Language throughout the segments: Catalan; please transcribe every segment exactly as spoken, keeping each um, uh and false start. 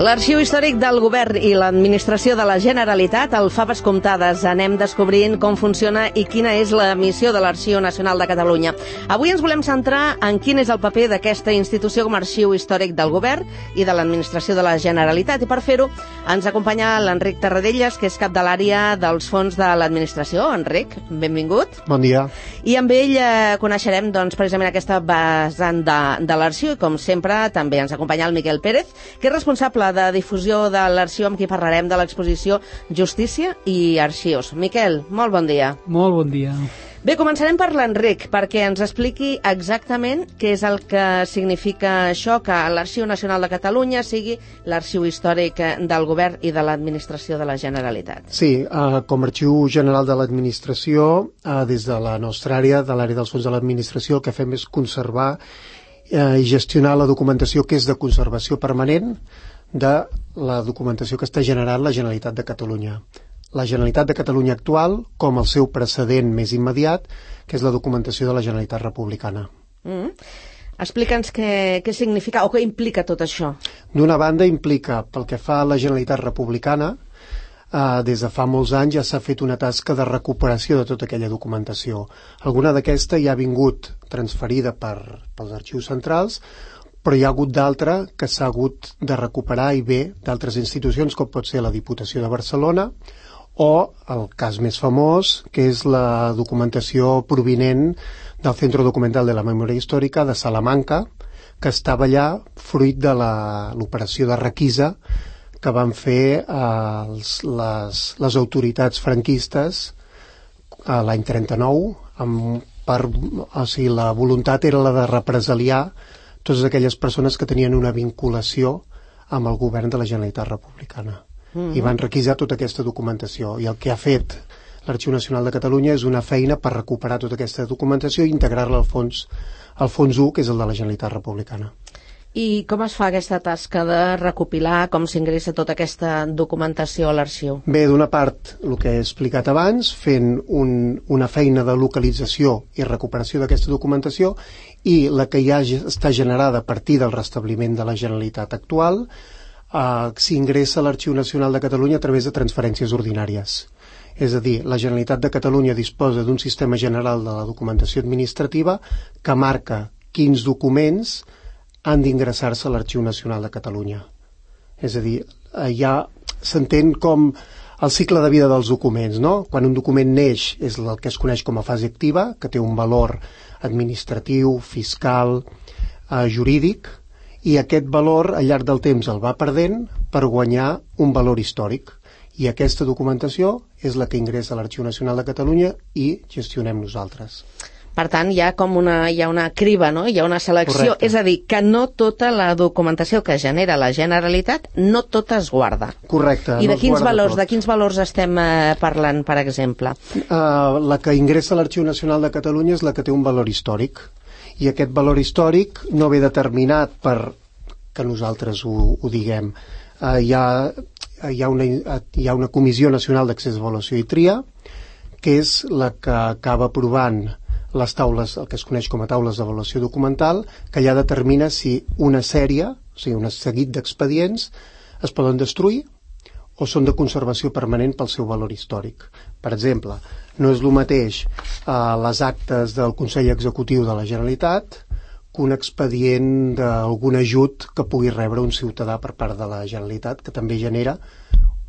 L'Arxiu Històric del Govern i l'Administració de la Generalitat, al Faves Comptades, anem descobrint com funciona i quina és la missió de l'Arxiu Nacional de Catalunya. Avui ens volem centrar en quin és el paper d'aquesta institució com a Arxiu Històric del Govern i de l'Administració de la Generalitat. I per fer-ho ens acompanya l'Enric Tarradellas, que és cap de l'àrea dels fons de l'Administració. Enric, benvingut. Bon dia. I amb ell eh, coneixerem doncs, precisament aquesta vessant de, de l'Arxiu i, com sempre, també ens acompanya el Miquel Pérez, que és responsable de difusió de l'Arxiu, amb qui parlarem de l'exposició Justícia i Arxius. Miquel, molt bon dia. Molt bon dia. Bé, començarem per l'Enric, perquè ens expliqui exactament què és el que significa això, que l'Arxiu Nacional de Catalunya sigui l'Arxiu Històric del Govern i de l'Administració de la Generalitat. Sí, eh, com a Arxiu General de l'Administració, eh, des de la nostra àrea, de l'àrea dels fons de l'Administració, el que fem és conservar eh, i gestionar la documentació que és de conservació permanent de la documentació que està generant la Generalitat de Catalunya. La Generalitat de Catalunya actual, com el seu precedent més immediat, que és la documentació de la Generalitat republicana. Mm. Explica'ns què, què significa o què implica tot això. D'una banda, implica, pel que fa a la Generalitat republicana, eh, des de fa molts anys ja s'ha fet una tasca de recuperació de tota aquella documentació. Alguna d'aquesta ja ha vingut transferida per, pels arxius centrals, però hi ha hagut d'altra que s'ha hagut de recuperar i bé d'altres institucions, com pot ser la Diputació de Barcelona, o el cas més famós, que és la documentació provinent del Centro Documental de la Memòria Històrica de Salamanca, que estava allà fruit de l'operació de requisa que van fer eh, els, les, les autoritats franquistes eh, l'any trenta-nou, amb, per, o sigui, la voluntat era la de represaliar totes aquelles persones que tenien una vinculació amb el govern de la Generalitat republicana. Mm-hmm. I van requisar tota aquesta documentació. I el que ha fet l'Arxiu Nacional de Catalunya és una feina per recuperar tota aquesta documentació i integrar-la al fons, al fons u, que és el de la Generalitat republicana. I com es fa aquesta tasca de recopilar, com s'ingressa tota aquesta documentació a l'arxiu? Bé, d'una part, el que he explicat abans, fent un, una feina de localització i recuperació d'aquesta documentació, i la que ja està generada a partir del restabliment de la Generalitat actual, eh, s'ingressa a l'Arxiu Nacional de Catalunya a través de transferències ordinàries. És a dir, la Generalitat de Catalunya disposa d'un sistema general de la documentació administrativa que marca quins documents han d'ingressar-se a l'Arxiu Nacional de Catalunya. És a dir, ja s'entén com el cicle de vida dels documents, no? Quan un document neix és el que es coneix com a fase activa, que té un valor administratiu, fiscal, eh, jurídic, i aquest valor al llarg del temps el va perdent per guanyar un valor històric. I aquesta documentació és la que ingressa a l'Arxiu Nacional de Catalunya i gestionem nosaltres. Per tant, hi ha com una, hi ha una criba, no? Hi ha una selecció. Correcte. És a dir, que no tota la documentació que genera la Generalitat, no tota es guarda. Correcte. I de no quins valors, tot. de quins valors estem eh, parlant, per exemple? Uh, la que ingressa a l'Arxiu Nacional de Catalunya és la que té un valor històric. I aquest valor històric no ve determinat per que nosaltres ho, ho diguem. Uh, hi, ha, hi, ha una, hi ha una Comissió Nacional d'Accés, Avaluació i Tria, que és la que acaba aprovant les taules, el que es coneix com a taules d'avaluació documental, que ja determina si una sèrie, o sigui, un seguit d'expedients, es poden destruir o són de conservació permanent pel seu valor històric. Per exemple, no és el mateix eh, les actes del Consell Executiu de la Generalitat que un expedient d'algun ajut que pugui rebre un ciutadà per part de la Generalitat, que també genera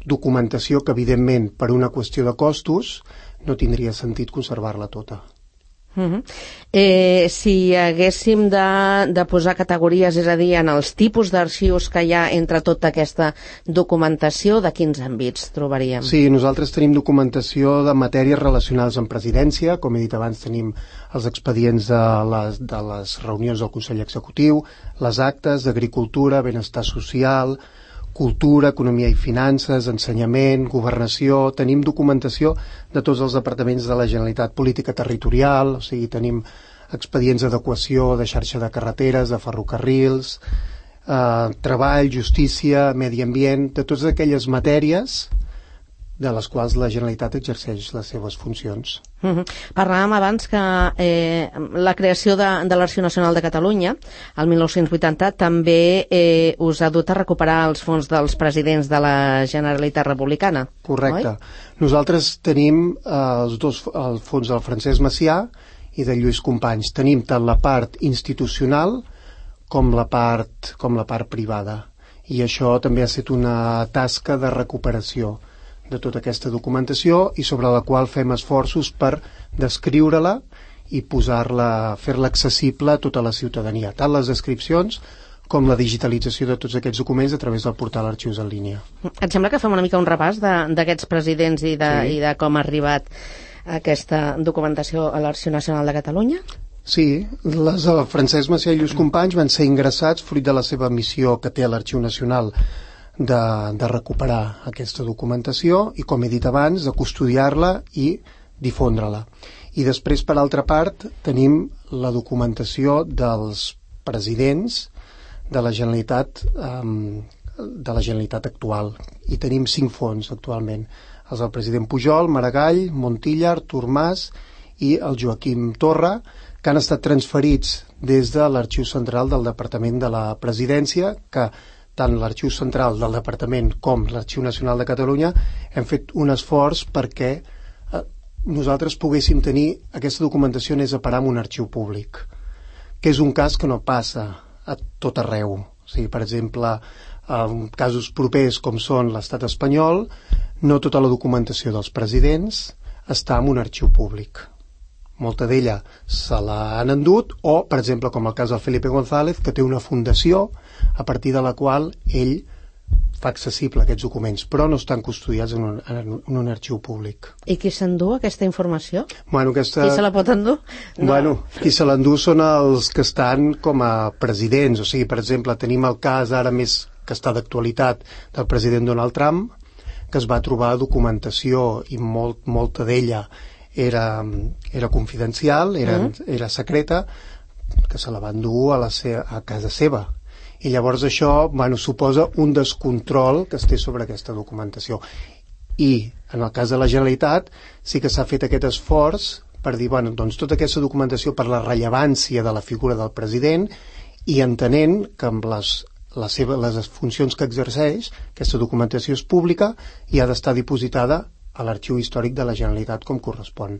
documentació que, evidentment, per una qüestió de costos, no tindria sentit conservar-la tota. Uh-huh. eh, si haguéssim de, de posar categories, és a dir, en els tipus d'arxius que hi ha entre tota aquesta documentació, de quins àmbits trobaríem? Sí, nosaltres tenim documentació de matèries relacionades amb presidència, com he dit abans tenim els expedients de les, de les reunions del Consell Executiu, les actes d'agricultura, benestar social, cultura, economia i finances, ensenyament, governació. Tenim documentació de tots els departaments de la Generalitat, política territorial, o sigui, tenim expedients d'adequació de xarxa de carreteres, de ferrocarrils, eh, treball, justícia, medi ambient, de totes aquelles matèries de les quals la Generalitat exerceix les seves funcions. Uh-huh. Parlàvem abans que eh, la creació de, de l'Arxiu Nacional de Catalunya, el mil nou-cents vuitanta, també eh, us ha dut a recuperar els fons dels presidents de la Generalitat Republicana. Correcte. Oi? Nosaltres tenim eh, els dos, el fons del Francesc Macià i de Lluís Companys. Tenim tant la part institucional com la part, com la part privada. I això també ha estat una tasca de recuperació de tota aquesta documentació i sobre la qual fem esforços per descriure-la i posar-la, fer-la accessible a tota la ciutadania, tant les descripcions com la digitalització de tots aquests documents a través del portal Arxius en línia. Et sembla que fem una mica un repàs d'aquests presidents i de, sí. i de com ha arribat aquesta documentació a l'Arxiu Nacional de Catalunya? Sí, les de Francesc Macià i Lluís Companys van ser ingressats fruit de la seva missió que té a l'Arxiu Nacional de, de recuperar aquesta documentació i, com he dit abans, de custodiar-la i difondre-la. I després, per altra part, tenim la documentació dels presidents de la Generalitat, um, de la Generalitat actual. I tenim cinc fons actualment. Els del president Pujol, Maragall, Montilla, Artur Mas i el Joaquim Torra, que han estat transferits des de l'Arxiu Central del Departament de la Presidència, que tant l'Arxiu Central del Departament com l'Arxiu Nacional de Catalunya hem fet un esforç perquè eh, nosaltres poguéssim tenir aquesta documentació anés a parar en un arxiu públic, que és un cas que no passa a tot arreu. O sigui, per exemple, en casos propers com són l'estat espanyol, no tota la documentació dels presidents està en un arxiu públic. Molta d'ella se l'han endut, o, per exemple, com el cas del Felipe González, que té una fundació a partir de la qual ell fa accessible aquests documents, però no estan custodiats en un, en un arxiu públic. I qui s'endú aquesta informació? Bueno, aquesta... Qui se la pot endur? No. Bueno, qui se l'endú són els que estan com a presidents. O sigui, per exemple, tenim el cas ara més que està d'actualitat del president Donald Trump, que es va trobar documentació i molt, molta d'ella era, era confidencial, era, mm. era secreta, que se la van dur a, la se a casa seva. I llavors això, bueno, suposa un descontrol que es té sobre aquesta documentació. I en el cas de la Generalitat sí que s'ha fet aquest esforç per dir, bueno, doncs tota aquesta documentació per la rellevància de la figura del president i entenent que amb les, la seva, les funcions que exerceix, aquesta documentació és pública i ha d'estar dipositada a l'Arxiu Històric de la Generalitat com correspon.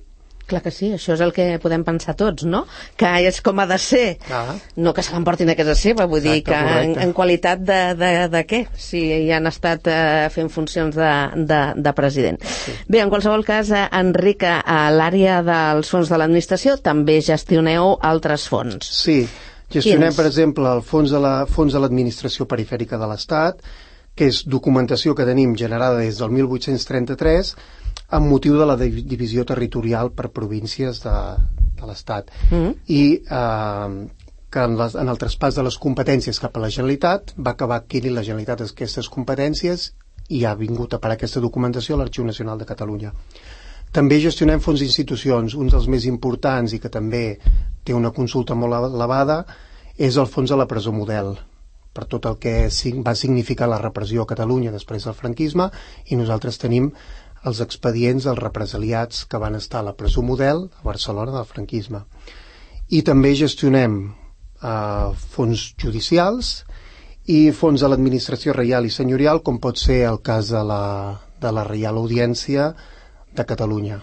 Clar que sí, això és el que podem pensar tots, no? Que és com ha de ser. Ah. No que se l'emportin a casa seva, vull Exacte, dir que en, en qualitat de, de, de què? Si hi han estat eh, fent funcions de, de, de president. Sí. Bé, en qualsevol cas, eh, Enric, a l'àrea dels fons de l'administració també gestioneu altres fons. Sí, gestionem, Quins? per exemple, el fons de la, fons de l'administració perifèrica de l'Estat, que és documentació que tenim generada des del mil vuit-cents trenta-tres amb motiu de la divisió territorial per províncies de, de l'Estat. Mm-hmm. I eh, que en, les, en el traspàs de les competències cap a la Generalitat va acabar adquirint la Generalitat aquestes competències i ha vingut a parar aquesta documentació a l'Arxiu Nacional de Catalunya. També gestionem fons d'institucions. Un dels més importants i que també té una consulta molt elevada és el fons de la presó model, per tot el que va significar la repressió a Catalunya després del franquisme, i nosaltres tenim els expedients dels represaliats que van estar a la presó model a Barcelona del franquisme. I també gestionem eh, fons judicials i fons de l'administració reial i senyorial, com pot ser el cas de la, de la Reial Audiència de Catalunya.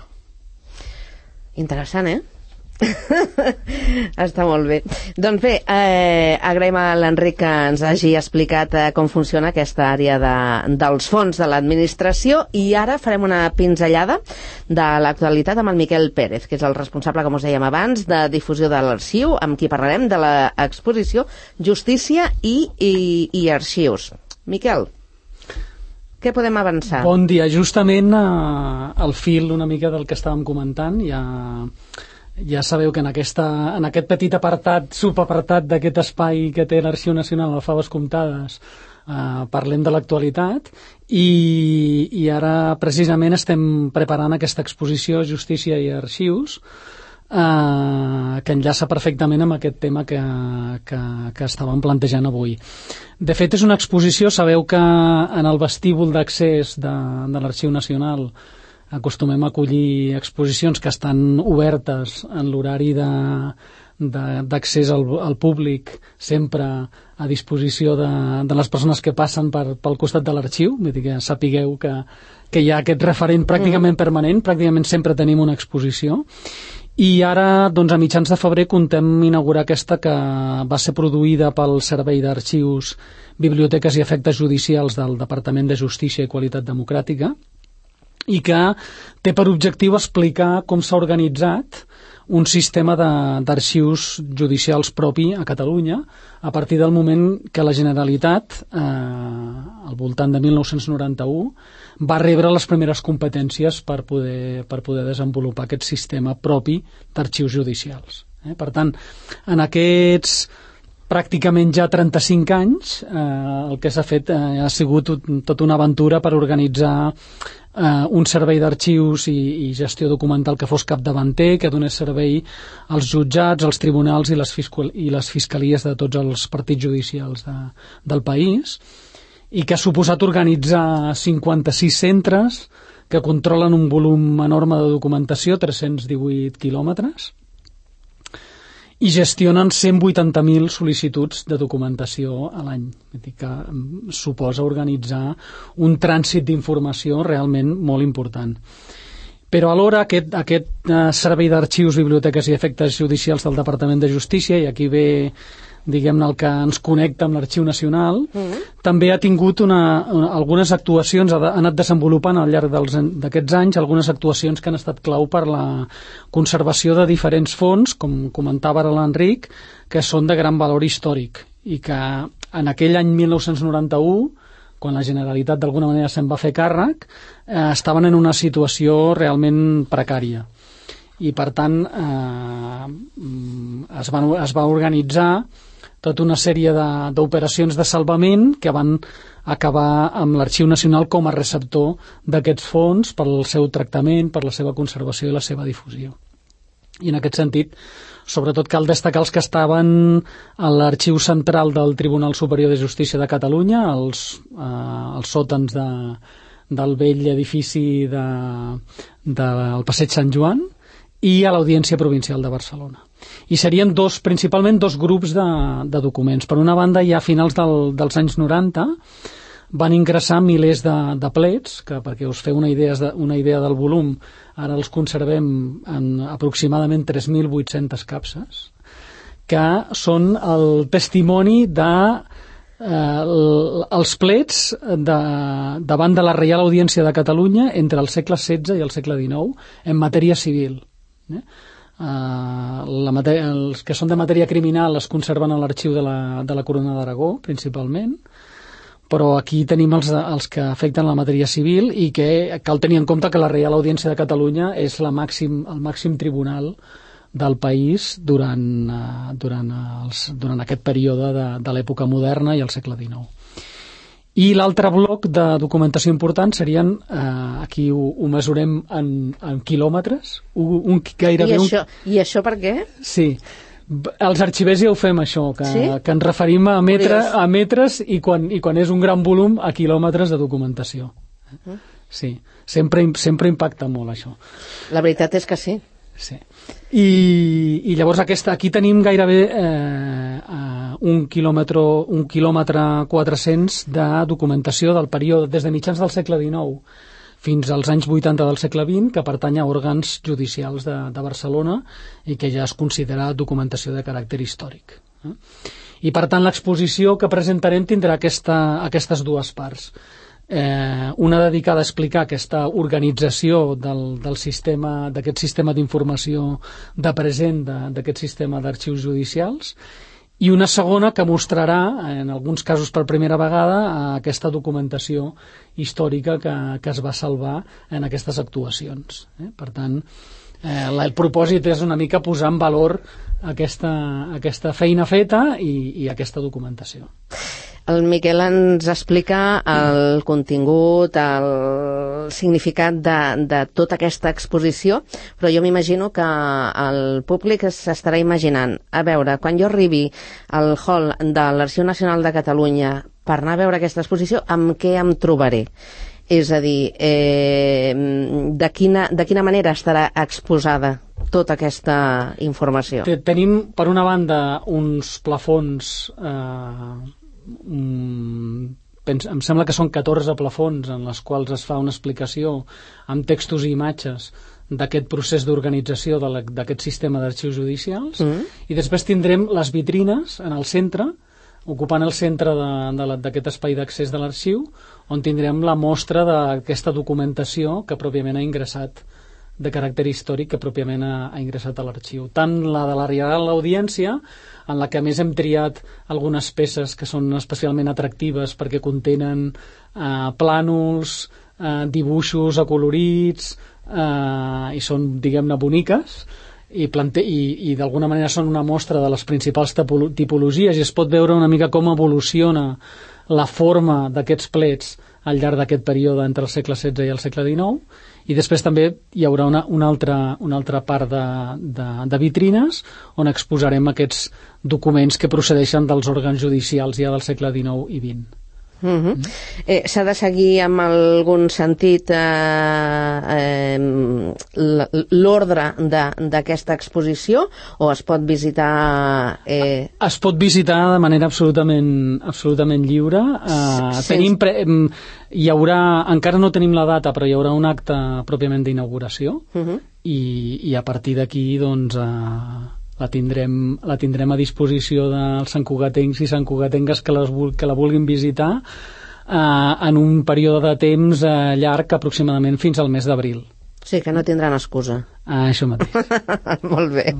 Interessant, eh? Està molt bé. Doncs bé, eh, agraïm a l'Enric que ens hagi explicat eh, com funciona aquesta àrea de, dels fons de l'administració, i ara farem una pinzellada de l'actualitat amb el Miquel Pérez, que és el responsable, com us dèiem abans, de difusió de l'arxiu, amb qui parlarem de l'exposició Justícia i, i, i Arxius. Miquel, què podem avançar? Bon dia. Justament eh, al fil una mica del que estàvem comentant, ja... Ja sabeu que en, aquesta, en aquest petit apartat, subapartat d'aquest espai que té l'Arxiu Nacional a Faves Comptades, eh, parlem de l'actualitat, i, i ara precisament estem preparant aquesta exposició Justícia i Arxius, eh, que enllaça perfectament amb aquest tema que, que, que estàvem plantejant avui. De fet, és una exposició, sabeu que en el vestíbul d'accés de, de l'Arxiu Nacional acostumem a acollir exposicions que estan obertes en l'horari de d'accés al, al públic, sempre a disposició de, de les persones que passen per, pel costat de l'arxiu. Vull dir que sapigueu que, que hi ha aquest referent pràcticament permanent, pràcticament sempre tenim una exposició. I ara, doncs, a mitjans de febrer contem inaugurar aquesta, que va ser produïda pel Servei d'Arxius, Biblioteques i Efectes Judicials del Departament de Justícia i Qualitat Democràtica, i que té per objectiu explicar com s'ha organitzat un sistema d'arxius judicials propi a Catalunya a partir del moment que la Generalitat, eh, al voltant de mil nou-cents noranta-u, va rebre les primeres competències per poder, per poder desenvolupar aquest sistema propi d'arxius judicials. Eh? Per tant, en aquests pràcticament ja trenta-cinc anys, eh, el que s'ha fet eh, ha sigut tota una aventura per organitzar Uh, un servei d'arxius i, i gestió documental que fos capdavanter, que donés servei als jutjats, als tribunals i les, fiscal, i les fiscalies de tots els partits judicials de, del país, i que ha suposat organitzar cinquanta-sis centres que controlen un volum enorme de documentació, tres-cents divuit quilòmetres, i gestionen cent vuitanta mil sol·licituds de documentació a l'any. Que suposa organitzar un trànsit d'informació realment molt important. Però alhora aquest, aquest uh, servei d'arxius, biblioteques i efectes judicials del Departament de Justícia, i aquí ve, diguem-ne, el que ens connecta amb l'Arxiu Nacional, mm-hmm. també ha tingut una, una, algunes actuacions, ha, de, ha anat desenvolupant al llarg d'aquests anys algunes actuacions que han estat clau per la conservació de diferents fons, com comentava ara l'Enric, que són de gran valor històric, i que en aquell any mil nou-cents noranta-u, quan la Generalitat d'alguna manera se'n va fer càrrec, eh, estaven en una situació realment precària. I per tant eh, es, van, es va organitzar tota una sèrie d'operacions de, de salvament que van acabar amb l'Arxiu Nacional com a receptor d'aquests fons pel seu tractament, per la seva conservació i la seva difusió. I en aquest sentit, sobretot cal destacar els que estaven a l'Arxiu Central del Tribunal Superior de Justícia de Catalunya, els, eh, els sòtans de, del vell edifici de, de, del Passeig Sant Joan, i a l'Audiència Provincial de Barcelona. I serien dos, principalment dos grups de, de documents. Per una banda, ja a finals del, dels anys noranta van ingressar milers de, de plets, que perquè us feu una idea, una idea del volum, ara els conservem en aproximadament tres mil vuit-centes capses, que són el testimoni de eh, els plets de, davant de la Reial Audiència de Catalunya entre el segle setze i el segle dinou en matèria civil. Eh? Uh, la matèria, els que són de matèria criminal es conserven a l'arxiu de la, de la Corona d'Aragó principalment, però aquí tenim els, els que afecten la matèria civil, i que cal tenir en compte que la Reial Audiència de Catalunya és la màxim, el màxim tribunal del país durant, uh, durant, els, durant aquest període de, de l'època moderna i el segle dinou. I l'altre bloc de documentació important serien, eh, aquí ho, ho mesurem en, en quilòmetres, un, un, gairebé I això, un... I això per què? Sí, els arxivers ja ho fem, això, que, sí? que ens referim a, metre, a metres i quan, i quan és un gran volum a quilòmetres de documentació. Uh-huh. Sí, sempre, sempre impacta molt això. La veritat és que sí. Sí. I, i llavors aquesta, aquí tenim gairebé eh, un quilòmetre, un quilòmetre quatre-cents de documentació del període des de mitjans del segle dinou fins als anys vuitanta del segle vint, que pertany a òrgans judicials de, de Barcelona i que ja es considera documentació de caràcter històric. Eh? I per tant l'exposició que presentarem tindrà aquesta, aquestes dues parts. Eh, una dedicada a explicar aquesta organització del, del sistema, d'aquest sistema d'informació de present d'aquest sistema d'arxius judicials, i una segona que mostrarà, en alguns casos per primera vegada, aquesta documentació històrica que, que es va salvar en aquestes actuacions. Eh? Per tant, eh, el propòsit és una mica posar en valor aquesta, aquesta feina feta i, i aquesta documentació. El Miquel ens explica el contingut, el significat de, de tota aquesta exposició, però jo m'imagino que el públic s'estarà imaginant, a veure, quan jo arribi al hall de l'Arxiu Nacional de Catalunya per anar a veure aquesta exposició, amb què em trobaré? És a dir, eh, de, quina, de quina manera estarà exposada tota aquesta informació? Tenim, per una banda, uns plafons... Eh, Mm, pens, em sembla que són catorze plafons en les quals es fa una explicació amb textos i imatges d'aquest procés d'organització d'aquest sistema d'arxius judicials, mm. i després tindrem les vitrines en el centre, ocupant el centre d'aquest espai d'accés de l'arxiu, on tindrem la mostra d'aquesta documentació que pròpiament ha ingressat, de caràcter històric, que pròpiament ha, ha ingressat a l'arxiu. Tant la de la Reial Audiència, en la que a més hem triat algunes peces que són especialment atractives perquè contenen eh, plànols, eh, dibuixos acolorits, eh, i són, diguem-ne, boniques, i, plante i, i d'alguna manera són una mostra de les principals tipologies, i es pot veure una mica com evoluciona la forma d'aquests plets al llarg d'aquest període entre el segle setze i el segle dinou, i després també hi haurà una, una, altra, una altra part de, de, de vitrines on exposarem aquests documents que procedeixen dels òrgans judicials ja del segle dinou i vint. Uh-huh. eh, S'ha de seguir amb algun sentit eh, eh, l'ordre d'aquesta exposició, o es pot visitar... Eh... Es pot visitar de manera absolutament, absolutament lliure. Eh, sí. Tenim pre hi haurà, encara no tenim la data, però hi haurà un acte pròpiament d'inauguració, uh-huh. i, i a partir d'aquí doncs... Eh, La tindrem, la tindrem a disposició dels santcugatencs i santcugatengues que, les, que la vulguin visitar eh, en un període de temps eh, llarg, aproximadament fins al mes d'abril. Sí, que no tindran excusa. Ah, això mateix. Molt bé.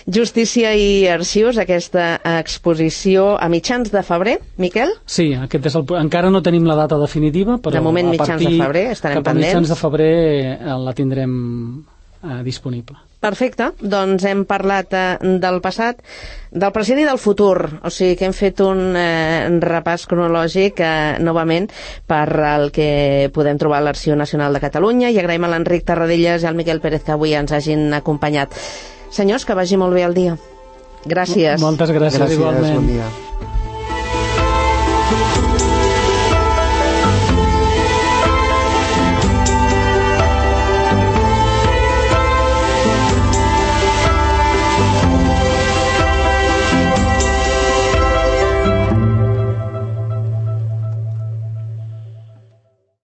Justícia i Arxius, aquesta exposició a mitjans de febrer, Miquel? Sí, aquest és el, encara no tenim la data definitiva, però de moment, a mitjans de febrer, estarem cap a pendents. Mitjans de febrer eh, la tindrem eh, disponible. Perfecte, doncs hem parlat eh, del passat, del present i del futur, o sigui que hem fet un eh, repàs cronològic eh, novament per el que podem trobar a l'Arxiu Nacional de Catalunya, i agraïm a l'Enric Tarradellas i al Miquel Pérez que avui ens hagin acompanyat. Senyors, que vagi molt bé el dia. Gràcies. Moltes gràcies, gràcies igualment. Bon dia.